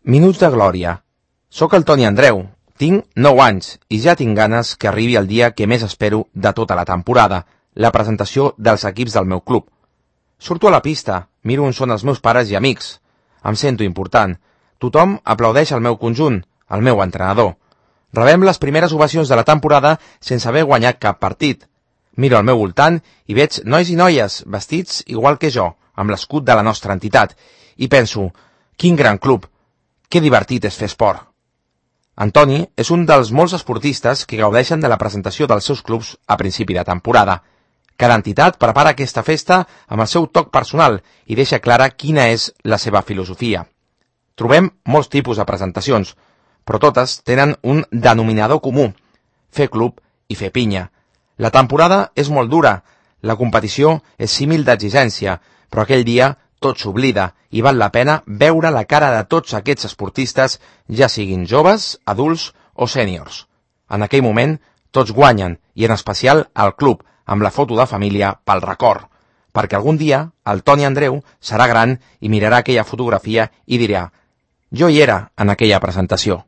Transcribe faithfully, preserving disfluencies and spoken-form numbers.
Minuts de glòria. Soc el Toni Andreu, tinc nou anys i ja tinc ganes que arribi el dia que més espero de tota la temporada, la presentació dels equips del meu club. Surto a la pista, miro on són els meus pares i amics. Em sento important. Tothom aplaudeix el meu conjunt, el meu entrenador. Rebem les primeres ovacions de la temporada sense haver guanyat cap partit. Miro al meu voltant i veig nois i noies vestits igual que jo, amb l'escut de la nostra entitat, i penso, quin gran club, que divertit és fer esport. Antoni és un dels molts esportistes que gaudeixen de la presentació dels seus clubs a principi de temporada. Cada entitat prepara aquesta festa amb el seu toc personal i deixa clara quina és la seva filosofia. Trobem molts tipus de presentacions, però totes tenen un denominador comú, fer club i fer pinya. La temporada és molt dura, la competició és símil d'exigència, però aquell dia tot s'oblida i val la pena veure la cara de tots aquests esportistes, ja siguin joves, adults o sèniors. En aquell moment, tots guanyen, i en especial el club, amb la foto de família pel record, perquè algun dia el Toni Andreu serà gran i mirarà aquella fotografia i dirà «Jo hi era en aquella presentació».